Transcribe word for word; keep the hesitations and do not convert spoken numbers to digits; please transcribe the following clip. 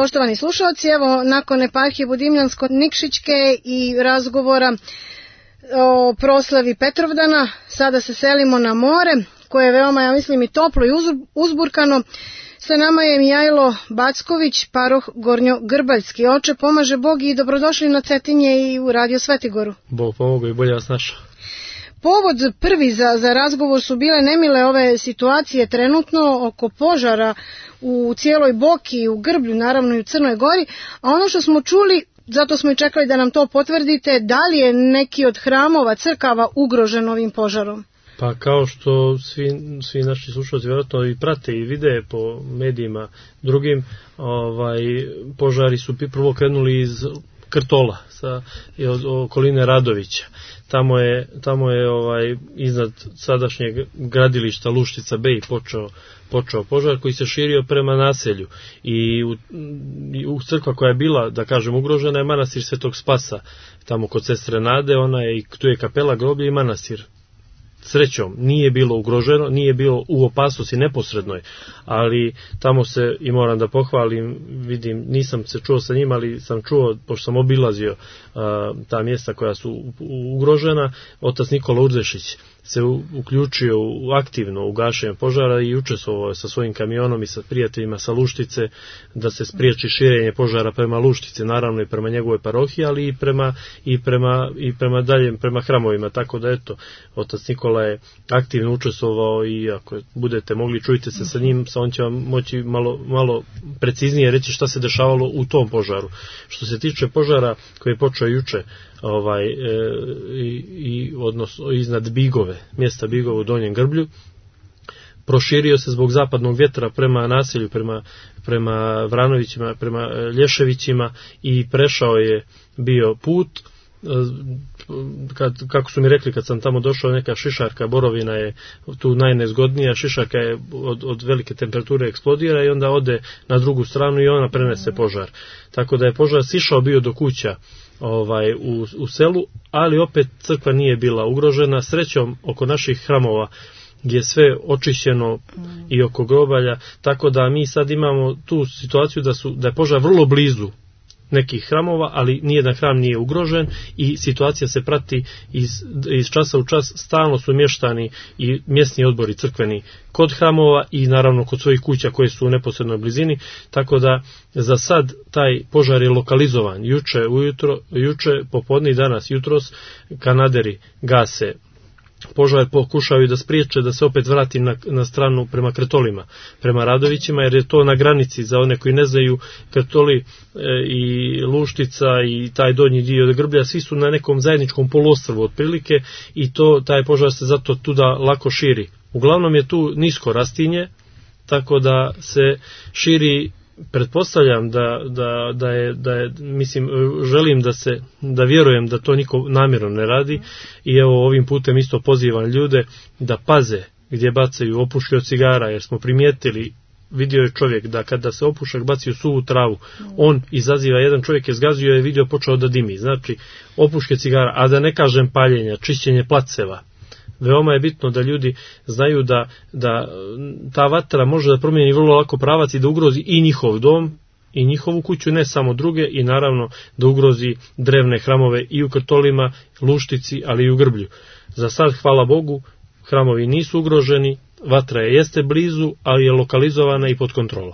Poštovani slušalci, evo nakon eparhije Budimljansko-Nikšićke i razgovora o proslavi Petrovdana, sada se selimo na more, koje je veoma, ja mislim, i toplo i uzburkano. Sa nama je Mijajlo Backović, paroh Gornjogrbaljski. Oče, pomaže Bog i dobrodošli na Cetinje i u Radio Svetigoru. Bog pomogu i bolje vas našao. Povod prvi za, za razgovor su bile nemile ove situacije trenutno oko požara u cijeloj Boki, u Grblju, naravno i u Crnoj Gori, a ono što smo čuli, zato smo i čekali da nam to potvrdite, da li je neki od hramova, crkava ugrožen ovim požarom? Pa kao što svi, svi naši slušalci vjerojatno i prate i vide po medijima drugim, ovaj, požari su prvo krenuli iz Krtola, sa od okoline Radovića. Tamo je, tamo je ovaj, iznad sadašnjeg gradilišta Luštica Bej počeo, počeo požar koji se širio prema naselju. I u, i u crkva koja je bila, da kažem, ugrožena je manastir Svetog Spasa, tamo kod sestre Nade, ona je, tu je kapela, groblje i manastir. Srećom, nije bilo ugroženo, nije bilo u opasnosti neposrednoj, ali tamo se, i moram da pohvalim, vidim, nisam se čuo sa njima, ali sam čuo, pošto sam obilazio a, ta mjesta koja su ugrožena, otac Nikola Urdešić se u, uključio u, aktivno u gašenje požara i učestvovao sa svojim kamionom i sa prijateljima sa Luštice da se spriječi širenje požara prema Luštice, naravno i prema njegove parohiji, ali i prema, i prema, i prema daljem, prema hramovima, tako da eto, otac Nikola je aktivno učestvovao i ako budete mogli, čujte se sa njim, sa on će vam moći malo, malo preciznije reći šta se dešavalo u tom požaru. Što se tiče požara koji je počeo juče, ovaj, e, i, i odnosno iznad Bigove, mjesta Bigove u Donjem Grblju, proširio se zbog zapadnog vjetra prema naselju, prema, prema Vranovićima, prema Lješevićima i prešao je bio put. Kad, kako su mi rekli kad sam tamo došao, neka šišarka borovina je tu najnezgodnija, šišarka je od, od velike temperature eksplodira i onda ode na drugu stranu i ona prenese požar. Tako da je požar sišao bio do kuća ovaj, u, u selu, ali opet crkva nije bila ugrožena. Srećom oko naših hramova je sve očišćeno i oko grobalja, tako da mi sad imamo tu situaciju da, su, da je požar vrlo blizu nekih hramova, ali nijedan hram nije ugrožen i situacija se prati iz, iz časa u čas, stalno su mještani i mjesni odbori crkveni kod hramova i naravno kod svojih kuća koje su u neposrednoj blizini, tako da za sad taj požar je lokalizovan. Juče ujutro, juče popodne i danas jutros kanaderi gase požar, pokušaju da spriječe da se opet vrati na, na stranu prema Krtolima, prema Radovićima, jer je to na granici, za one koji ne znaju, Krtoli e, i Luštica i taj donji dio Grblja, svi su na nekom zajedničkom poluostrvu otprilike i to, taj požar se zato tuda lako širi. Uglavnom je tu nisko rastinje, tako da se širi. Pretpostavljam da, da, da, je, da je, mislim, želim da se, da vjerujem da to niko namjerno ne radi i evo ovim putem isto pozivam ljude da paze gdje bacaju opuške od cigara, jer smo primijetili, vidio je čovjek da kada se opušak baci u suvu travu, on izaziva, jedan čovjek je zgazio i vidio počeo da dimi, znači opuške cigara, a da ne kažem paljenja, čišćenje placeva. Veoma je bitno da ljudi znaju da, da ta vatra može da promijeni vrlo lako pravac i da ugrozi i njihov dom i njihovu kuću, ne samo druge, i naravno da ugrozi drevne hramove i u Krtolima, Luštici, ali i u Grblju. Za sad, hvala Bogu, hramovi nisu ugroženi, vatra je jeste blizu, ali je lokalizovana i pod kontrolom.